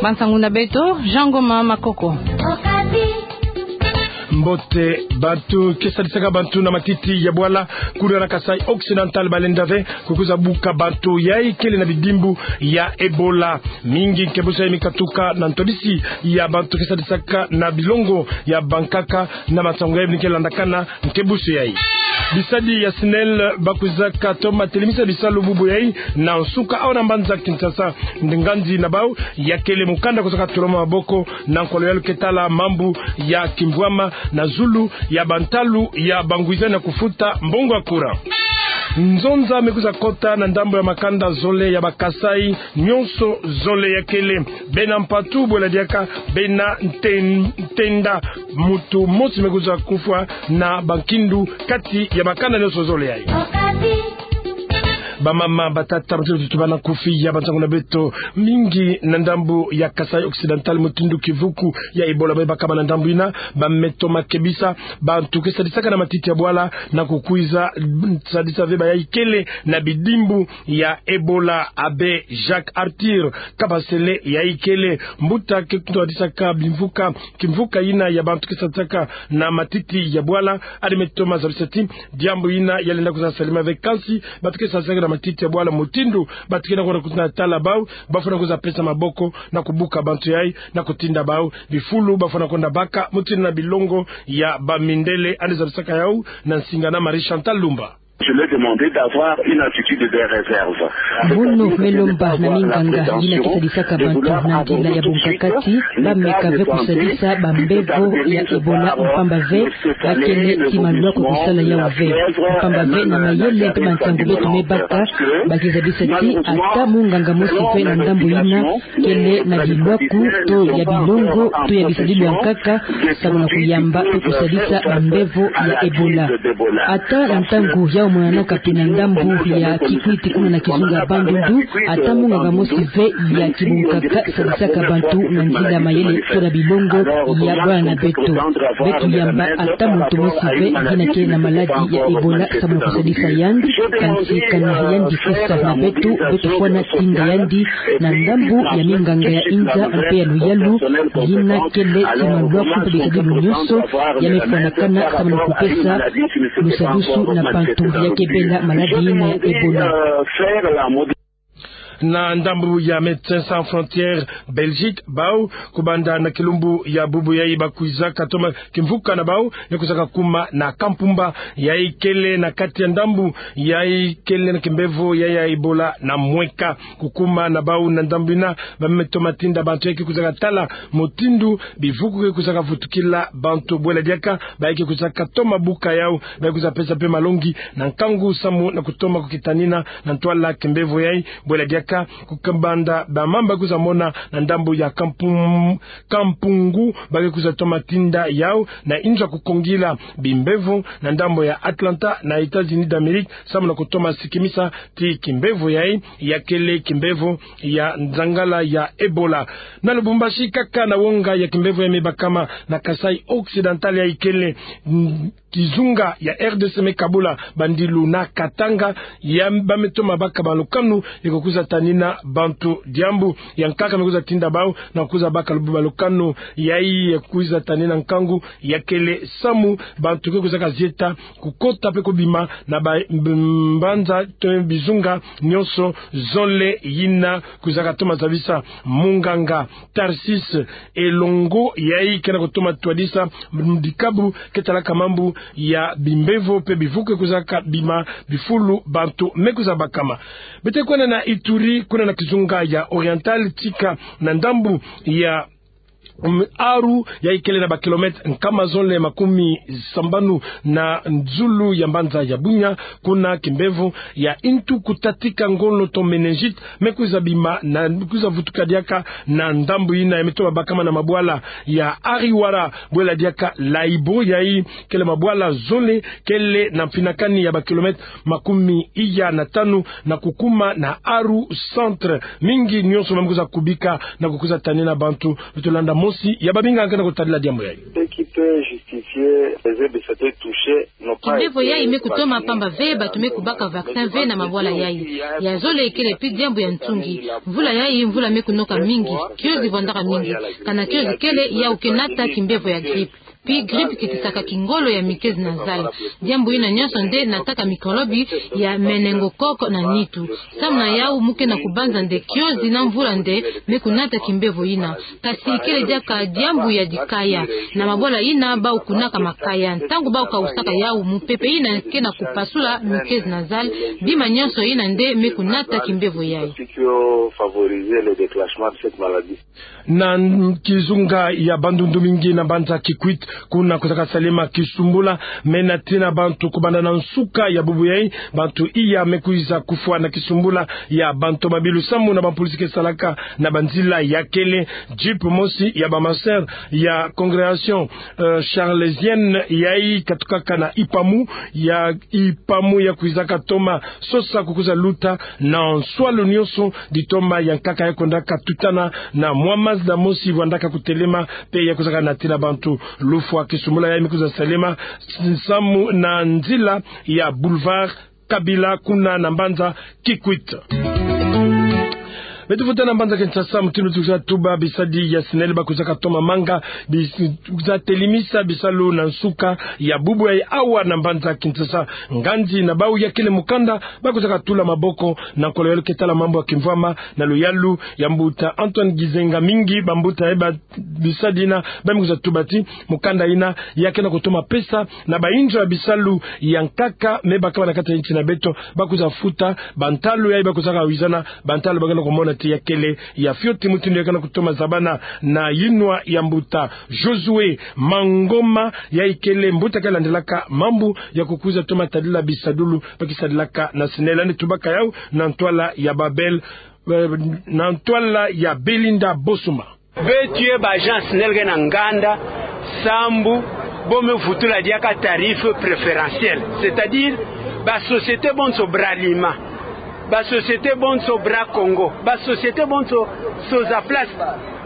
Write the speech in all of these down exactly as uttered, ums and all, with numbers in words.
Bansangu na beto, Jean Ngoma Makoko. Mbote. Bantu ke sadisaka bantu na matiti ya bwala kuna na Kasaï Occidental balenda ve kukwiza buka bantu yayi kele na bidimbu ya Ebola. Mingi nkebusio yayi mikatuka na ntwadisi ya bantu ke sadisaka na bilongo ya bankaka na bansangu yayi bini ke landakana nkebusio yayi. Bisadi ya SNEL bakwizaka toma telemisa bisalu bubu yayi na nsuka awa na mbanza Kinshasa. Ngandi na bau ya kele mukanda kusaka toloma maboko na nkolo yalu ke tala mambu ya kimvwama na zulu ya bantalu ya bangwiza na kufuta mbongo ya courant. Nzonza me kwiza kota na ndambu ya makanda zole ya ba Kasaï, nyonso zole ya kele bena mpatu bwela diaka bena nten-, ntenda. Muntu mosi me kwiza kufwa na bankindu kati ya makanda nyonso zole yayi. Bamama, batata, bantu tutu bana kufi ya bansangu na beto, mingi na ndambu ya Kasaï Occidental mutindu kivuku ya Ebola me bakama na ndambu yina, ba me toma kebisa bantu ke sadisaka na matiti ya bwala na kukwiza sadisa ve bayayi kele na bidimbu ya Ebola. Abbé Jacques Arthur Kabasele yayi kele mbuta ke ntwadisaka bimvuka, kimvuka yina ya bantu ke sadisaka na matiti ya bwala, adi me toma zabisa ti diambu yina ya lenda kwiza salama ve, kansi bantu ke sadisaka na matiti ya bwala mutindu bantu ke na kwenda kutuna tala bau, bafwana kwiza pesa maboko na kubuka bantu yayi na kutinda bau bifulu bafwana kwenda baka mutindu na bilongo ya bamindele. Adi zabisaka yau na nsinga na Marie Chantal Lumba. Je leur demandais d'avoir une attitude de réserve. Mono me lomba na minganga yina ke sadisaka bantu na nzila ya bunkakati, ba meka ve kusadisa bambevo ya Ebola, mpamba ve ba kele ti malwaku kusala yau ve. Mpamba ve na mayele mpe mansangu beto me baka, ba ke zabisa ti ata munganga mosi ve na ndambu yina kele na bilwaku to ya bilongo to ya bisadidi ya nkaka, samu na kuyamba mpe kusadisa bambevo ya Ebola. Ata na ntangu yau monanaka mpe na ndambu ya Kikwit kuna na kizunga Bandundu, ata munganga mosi ve ya kibunkaka sadisaka bantu na nzila mayele to na bilongo ya bwala na beto. Beto yamba ata muntu mosi ve yina kele na maladi ya Ebola samu na kusadisa yandi, kansi kana yandi kesa na beto, beto fwana tinda yandi na ndambu ya minganga ya inza mpe ya luyalu, yina kele ti malwaku mpe bisadidi nyonso ya me fwanakana samu na kupesa lusadusu na bantu ya ke bela maladi yina ya Ebola. Na ndambu ya Médecins Sans Frontières Belgique, bau kubanda na kilumbu ya bubu yayi bakwizaka toma kimvuka na bau ya kwizaka kuma na Kampumba, yayi kele na kati ya ndambu yayi kele na kimbevo ya, ya Ebola na mweka. Kukuma na bau na ndambu yina, ba me toma tinda bantu yayi ke kwizaka tala mutindu bivuku ke kwizaka vutukila bantu, bwela diaka bayayi ke kwizaka toma buka yau, bayayi kwiza pesa mpe malongi na nkangu samu na kutoma kukitanina na ntwala kimbevo yayi, bwela diaka kukabanda ba mamba kwiza mona na ndambu ya Kampum-, Kampungu, ba ke kwiza toma tinda yau na inzo ya kukongila bimbevo na ndambu ya Atlanta na États-Unis d'Amérique, samu na kutoma sikimisa ti kimbevo yayi ya kele kimbevo ya nzangala ya Ebola. Na Lubumbashi kaka na wonga ya kimbevo ya me bakama na Kasaï Occidental yayi kele, mm, kizunga ya R D C me kabula bandilu na Katanga, ya ba me toma baka balukanu ya ke kwiza tanina bantu diambu. Ya nkaka me kwiza tinda bau na kwiza baka lubu balukanu yayi ya kwiza tanina nkangu ya kele samu bantu ke kwizaka zieta kukota mpe kubima na ba-, mb-, mbanza to bizunga nyonso zole yina kwizaka toma zabisa. Munganga Tarsis Elongo yayi ke na kutoma twadisa dikabu ke talaka mambu ya bimbevo mpe bivuku ke kwizaka bima bifulu bantu me kwiza bakama. Beto kwenda na Ituri, kuna na kizunga ya Oriental, tika na ndambu ya, mm, Aru, yayi kele na ba kilomètre nkama zole makumi sambanu na zulu ya mbanza ya Bunia, kuna kimbevo ya intu kutatika ngolo to méningite me kwiza bima na kwiza vutuka diaka na ndambu yina ya me toma bakama na mabwala ya Ariwara, bwela diaka Laibo, yayi kele mabwala zole kele na mfinakani ya ba kilomètre makumi iya na tanu na kukuma na Aru centre. Mingi nyonso me kwiza kubika na kukwiza tanina bantu. Beto landa Mosi ya babingi ke na kutadila diambu yayi. Ce qui peut justifier les aides de santé touchées n'ont pas été... Kimbevo yayi me kutoma pamba ve, bato me kubaka vaccin ve na mabwala yayi. Ya zole ikele pi diambu ya ntungi. Mvula yayi, mvula me kunoka mingi. Kiozi vwandaka mingi. Kana kiozi kele, yawu ke nata kimbevo ya grippe. Pi grippe kitisaka kingolo ya mikezi na zale. Diambu yina nyonso nde nataka mikolobi ya meningococque na nitu. Samu na yawu mu ke na kubanza nde kiozi na mvula nde me kunata kimbevo yina. Kasi ikele diaka diambu ya dikaya. Na mabwala yina bau kunaka makaya. Ntangu bau kawusaka yawu, mupepe yina ke na kupasula mikezi na zale. Bima nyonso yina nde me kunata kimbevo yayi. Ce qui ont favorisé le déclenchement de cette maladie. Na kizunga ya bandundu mingi na mbanza Kikwit, kuna kwizaka salema kisumbula me natina bantu kubanda na nsuka ya bubu yayi. Bantu iya me kwiza kufwa na kisumbula ya bantu mabilu samu na bapolisi ke salaka na banzila ya kele. Jeep mosi ya ba ma sœur ya congrégation, euh, charlésienne yayi katukaka na Ipamu, ya Ipamu ya kwizaka toma sosa kukwiza luta na nswalu nyonso ditoma ya nkaka ya kwendaka tutana na mwa mazi na mosi vwandaka kutelema, pe ya kwizaka natina bantu. Lufwa kisumbula yayi me kwiza salema samu na nzila ya boulevard Kabila kuna na mbanza Kikwit. Beto futa na mbanza Kinshasa, mutindu tukwiza tuba, bisadi ya SNEL bakwizaka toma manga, bis-, kwiza telimisa bisalu na nsuka ya bubu yayi awa na mbanza Kinshasa. Nganzi na bau ya kele mukanda, bakwizaka tula maboko na nkolo ya luketa la mambu ya kimvwama na luyalu ya mbuta Antoine Gizenga. Mingi bambuta ya ba bisadi yina ba me kwiza tuba ti mukanda yina ya ke na kutoma pesa na bayinzo ya bisalu ya nkaka me bakaba na kati ya nsi na beto, bakwiza futa bantalu yayi bakwizaka wizana, bantalu ba ke na kumona ti ya kele ya fioti, mutindu ya ke na kutoma zabana na yinwa ya mbuta Josué Mangoma, yayi kele mbuta ke landilaka mambu ya kukwiza toma tadila bisadulu ba kisadilaka na SNEL. Yandi tubaka yawu na ntwala ya Babel, eh, na ntwala ya Belinda Bosuma. Beto ye ba agent SNEL ke na nganda sambu bo me vutula diaka tarif préférentiel, c'est-à-dire ba société bonso, Bralima, ba société bonso, Bracongo, ba société bonso, Sozaplast,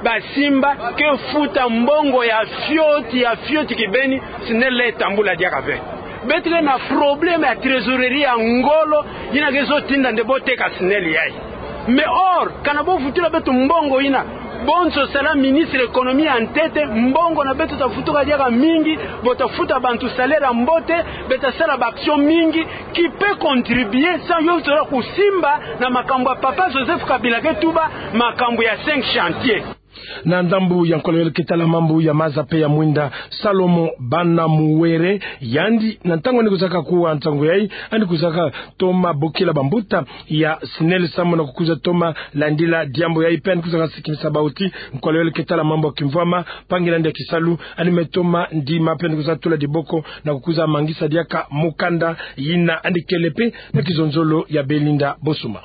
ba simba ke futa mbongo ya fioti, ya fioti kibeni, SNEL tambula diaka ve. Beto ke na problème ya trésorerie ya ngolo, yina ke zo tinda nde bo teka SNEL yayi. Mais or, kana bo vutula beto mbongo yina, bonso sala ministre économie ya ntete, mbongo na beto ta vutuka diaka mingi, bo ta futa bantu salaire ya mbote, beto ta sala ba action mingi, qui peut contribuer, sans yo tola kusimba na makambu ya Papa Joseph Kabila ke tuba, makambu ya cinq chantiers. Na ndambu ya nkolo ya luketa la mambu ya maza pe ya mwinda, Salomo Banamuwere, yandi na ntangu yandi kwizaka kuwa nsangu yayi, yandi kwizaka toma bokila bambuta ya SNEL samu na kukwiza toma landila diambu yayi, pe yandi kwizaka sikimisa bau ti nkolo ya luketa la mambu ya kimvwama, mpangi na yandi ya kisalu, yandi me toma ndima pe yandi kwiza tula diboko na kukwiza mangisa diaka mukanda yina. Yandi kele pe na kizonzolo ya Belinda Bosuma.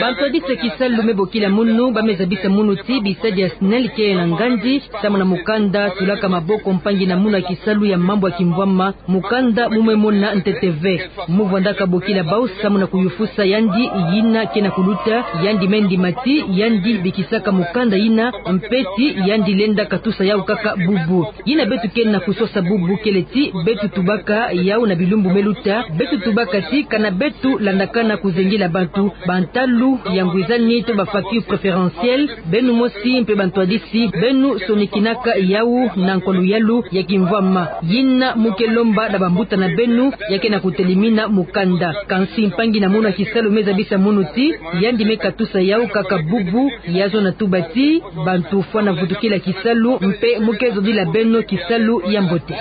Bantwadisi ya kisalu me bokila munu, ba me zabisa munu ti bisadi ya SNEL ke na nganzi samu na mukanda tulaka maboko mpangi na munu ya kisalu ya mambu ya kimvwama, mukanda mu me mona ntete ve. Mu vwandaka bokila bau samu na kuyufusa yandi yina ke na kuluta, yandi me ndima ti yandi bikisaka mukanda yina, mpe ti yandi lenda katusa yawu kaka bubu. Yina beto ke na kusosa bubu kele ti beto tubaka yawu na bilumbu me luta, beto tubaka ti kana beto landakana kuzengila bantu, bantalu ya ngwizani to ba facture préférentielle, beno mosi mpe bantwadisi, beno sonikinaka yawu na nkwa luyalu ya kimvwama. Yina mu ke lomba na bambuta na beno ya ke na kutelimina mukanda. Kansi mpangi na munu ya kisalu me zabisa munu ti yandi me katusa yawu kaka bubu, ya zo na tuba ti bantu fwana vutukila kisalu, mpe mu ke zodila beno kisalu ya mbote.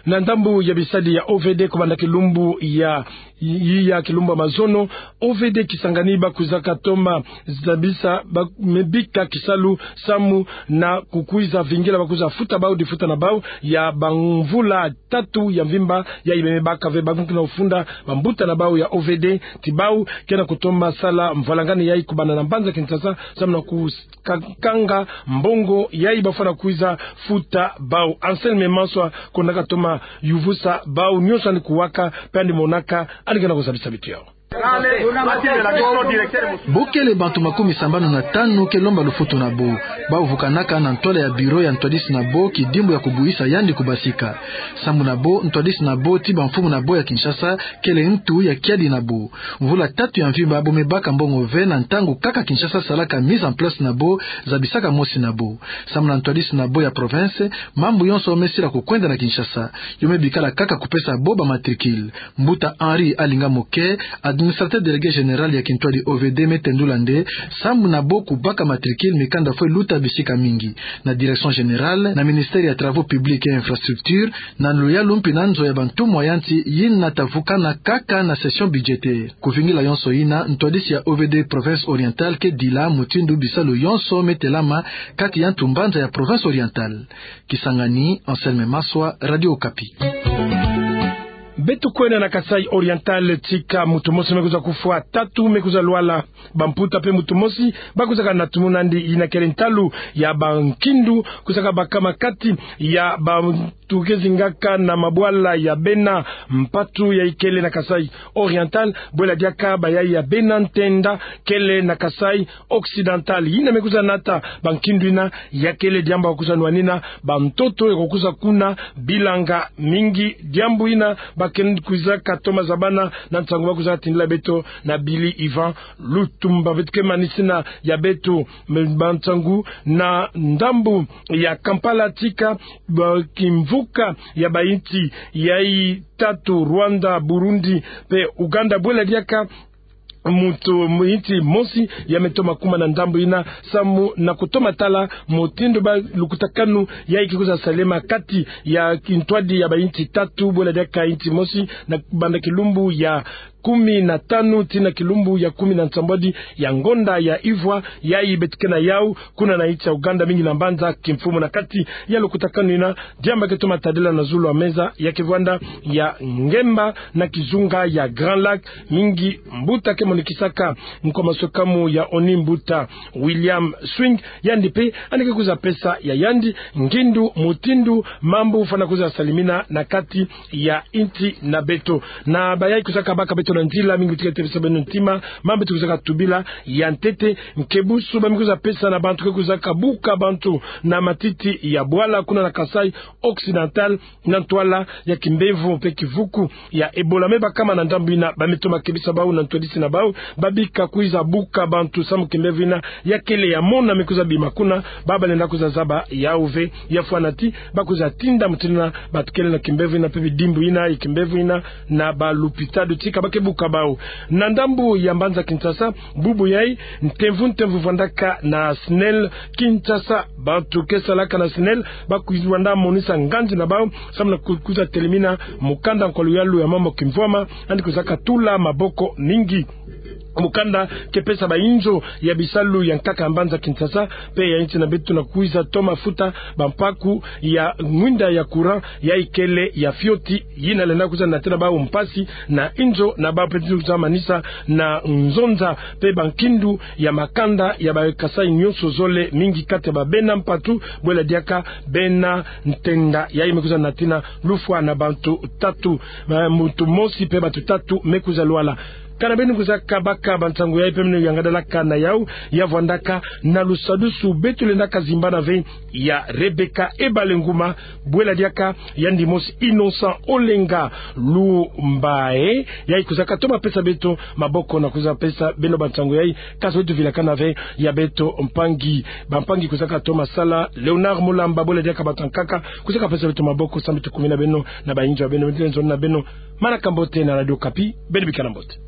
Na ndambu ya bisadi ya O V D, kobanda kilumbu ya, ya kilumbu ya mazono, O V D Kisangani ba kwizaka toma zabisa, ba me bika kisalu samu na kukwiza vingila ba kwiza futa bau difuta na bau ya bamvula tatu ya mvimba yayi me baka ve. Ba ke na kufunda bambuta na bau ya O V D ti bau ke na kutoma sala mvwalangani yayi kobanda na mbanza Kinshasa samu na ku ka-, kanga mbongo yayi ba fwana kwiza futa bau. Anselme Manswa konaka toma yuvusa bau nyonso yandi kuwaka, mpe yandi monaka, yandi ke na kuzabisa beto yawu. Bo kele bantu makumi sambanu na tanu ke lomba lufutu na bo. Bau vukanaka na ntwala ya bureau ya ntwadisi na bo kidimbu ya kubuisa yandi kubasika. Sambu na bo, ntwadisi na bo ti bamfumu na bo ya Kinshasa kele ntu ya kiadi na bo. Mvula tatu ya mvimba bo me baka mbongo ve na ntangu kaka Kinshasa salaka mise en place na bo, zabisaka mosi na bo. Sambu na ntwadisi na bo ya province, mambu yonso me sila kukwenda na Kinshasa. Yo me bikala kaka kupesa bo ba matricule. Mbuta Henri Alinga Moke, administrateur délégué général ya kintwadi O V D, me tendula nde, sambu na bo kubaka matricule, mikanda fwe luta bisika mingi. Na direction générale, na ministère ya travaux publics et infrastructures, na luyalu mpi na nzo ya bantumwa ya nsi yina ta vukana kaka na session budgétaire. Kuvingila yonso yina, ntwadisi ya O V D province orientale ke dila mutindu bisalu yonso me telama kati ya ntu mbanza ya province orientale. Kisangani, Anselme Maswa, Radio Okapi. Beto kwenda na Kasaï Oriental, tika muntu mosi me kwiza kufwa, tatu me kwiza lwala, bamputa pe muntu mosi ba kwizaka na tumuna nde. Yina kele ntalu ya bankindu kwizaka bakama kati ya bantu ke zingaka na mabwala ya bena mpatu yayi kele na Kasaï Oriental, bwela diaka bayaya bena ntenda kele na Kasaï Occidental. Yina me kwiza nata bankindu yina, ya kele diambu ba kwiza nwanina bantoto ya kwiza kuna bilanga mingi. Diambu yina ba ke kwizaka toma zabana na nsangu ba kwiza tindila beto na Billy Ivan Lutumba. Beto ke manisina ya beto me bansangu na ndambu ya Kampala, tika ba kimvuka ya bayinsi yayi tatu, Rwanda, Burundi pe Uganda, bwela diaka muntu, mu yinsi mosi ya me toma kuma na ndambu yina, samu na kutoma tala mutindu ba lukutakanu yayi ke kwiza salema kati ya kintwadi ya bayinsi tatu, bwela diaka yinsi mosi, na banda kilumbu ya kumi na tanu tii na kilumbu ya kumi na nsambwadi ya ngonda ya ivwa yayi beto ke na yau, kuna na yinsi ya Uganda, mingi na mbanza kimfumu. Na kati ya lukutakanu yina, diambu ba ke toma tadila na zulu ya meza ya ke vwanda ya ngemba na kizunga ya Grand Lac, mingi mbuta ke monikisaka nkwa maswekamu ya ONU, mbuta William Swing, yandi pe yandi ke kwiza pesa ya yandi ngindu mutindu mambu fwana kwiza salimina na kati ya yinsi na beto. Na bayayi kwizaka baka beto na nzila, mingi beto ke tebisa beno ntima mambu beto kwizaka tubila ya ntete. Nkebusu ba me kwiza pesa na bantu ke kwizaka buka bantu na matiti ya bwala kuna na Kasaï Occidental, na ntwala ya kimbevo pe kivuku ya Ebola me bakama na ndambu yina, ba me toma kebisa bau na ntwadisi na bau, ba bika kwiza buka bantu samu kimbevo yina ya kele ya mona me kwiza bima kuna. Ba balenda kwiza zaba yau ve, ya fwana ti ba kwiza tinda mutindu yina bantu kele na kimbevo yina pe bidimbu yina ya kimbevo yina na balupitalu, tika ba ke buka bau. Na ndambu ya mbanza Kinshasa, bubu yayi, ntemvu ntemvu vwandaka na SNEL Kinshasa. Bantu ke salaka na SNEL ba kwiza vwanda monisa nganzi na bau samu na ku-, kwiza telemina mukanda nkwa luyalu ya mambu kimvwama, yandi kwizaka tula maboko mingi. Mukanda ke pesa bayinzo ya bisalu ya nkaka ya mbanza Kinshasa pe ya yinsi na beto, na kwiza toma futa bampaku ya mwinda ya courant yayi kele ya fioti, yina lenda kwiza natina bau mpasi na yinzo na bau pe ti kwiza manisa na nzonza pe bankindu ya makanda ya ba Kasaï nyonso zole, mingi kati ya babena mpatu, bwela diaka bena ntenda. Yayi me kwiza natina lufwa na bantu tatu, eh, muntu mosi pe bantu tatu me kwiza lwala. Kana beno kwizaka baka bansangu yayi pe beno yangadalaka na yawu, ya vwandaka na lusadusu beto lendaka zimbana ve ya Rebecca Ebalenguma, bwela diaka yandi mosi Innocent Olenga Lumbae, yayi kwizaka toma pesa beto maboko na kwiza pesa beno bansangu yayi. Kasi beto vilakana ve ya beto mpangi, bampangi kwizaka toma sala, Léonard Mulamba, bwela diaka bantu ya nkaka kwizaka pesa beto maboko, samu beto kumina beno na bayinzo ya beno, beto lenda zona na beno manaka mbote na Radio Okapi, beno bikana mbote.